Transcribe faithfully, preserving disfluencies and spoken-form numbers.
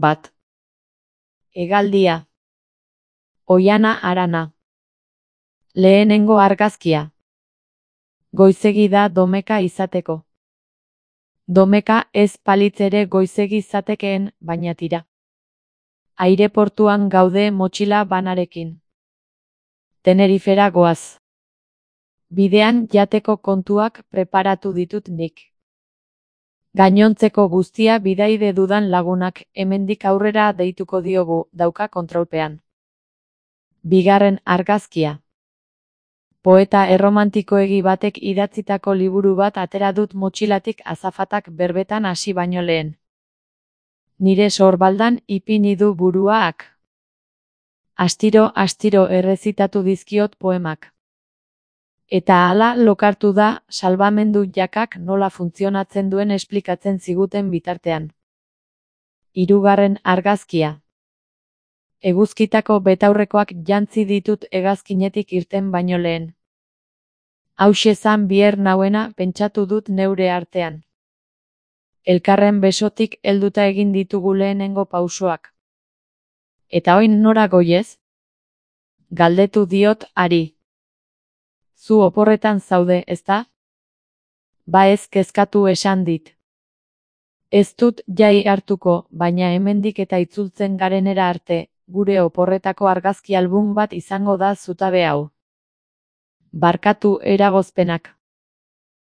Bat. Hegaldia. Oihana Arana. Lehenengo argazkia. Goizegi da domeka izateko. Domeka ez palitz ere goizegi zatekeen, baina tira. Aireportuan gaude motxila banarekin. Tenerifera goaz. Bidean jateko kontuak preparatu ditut nik. Gainontzeko guztia bidaide dudan lagunak hemendik aurrera deituko diogu, dauka kontrolpean. Bigarren argazkia. Poeta erromantikoegi batek idatzitako liburu bat atera dut motxilatik azafatak berbetan hasi baino lehen. Nire sorbaldan ipini du buruak. Astiro astiro errezitatu dizkiot poemak. Eta hala lokartu da salbamendu jakak nola funtzionatzen duen esplikatzen ziguten bitartean. Hirugarren argazkia. Eguzkitako betaurrekoak jantzi ditut hegazkinetik irten baino lehen. Hauxe zan bier nauena pentsatu dut neure artean. Elkarren besotik helduta egin ditugu lehenengo pausoak. Eta oin nora goiez? Galdetu diot hari. Zu oporretan zaude, ezta? Ba ez kezkatu esan dit. Ez dut jai hartuko, baina hemendik eta itzultzen garenera arte, gure oporretako argazki album bat izango da zutabe hau. Barkatu eragozpenak.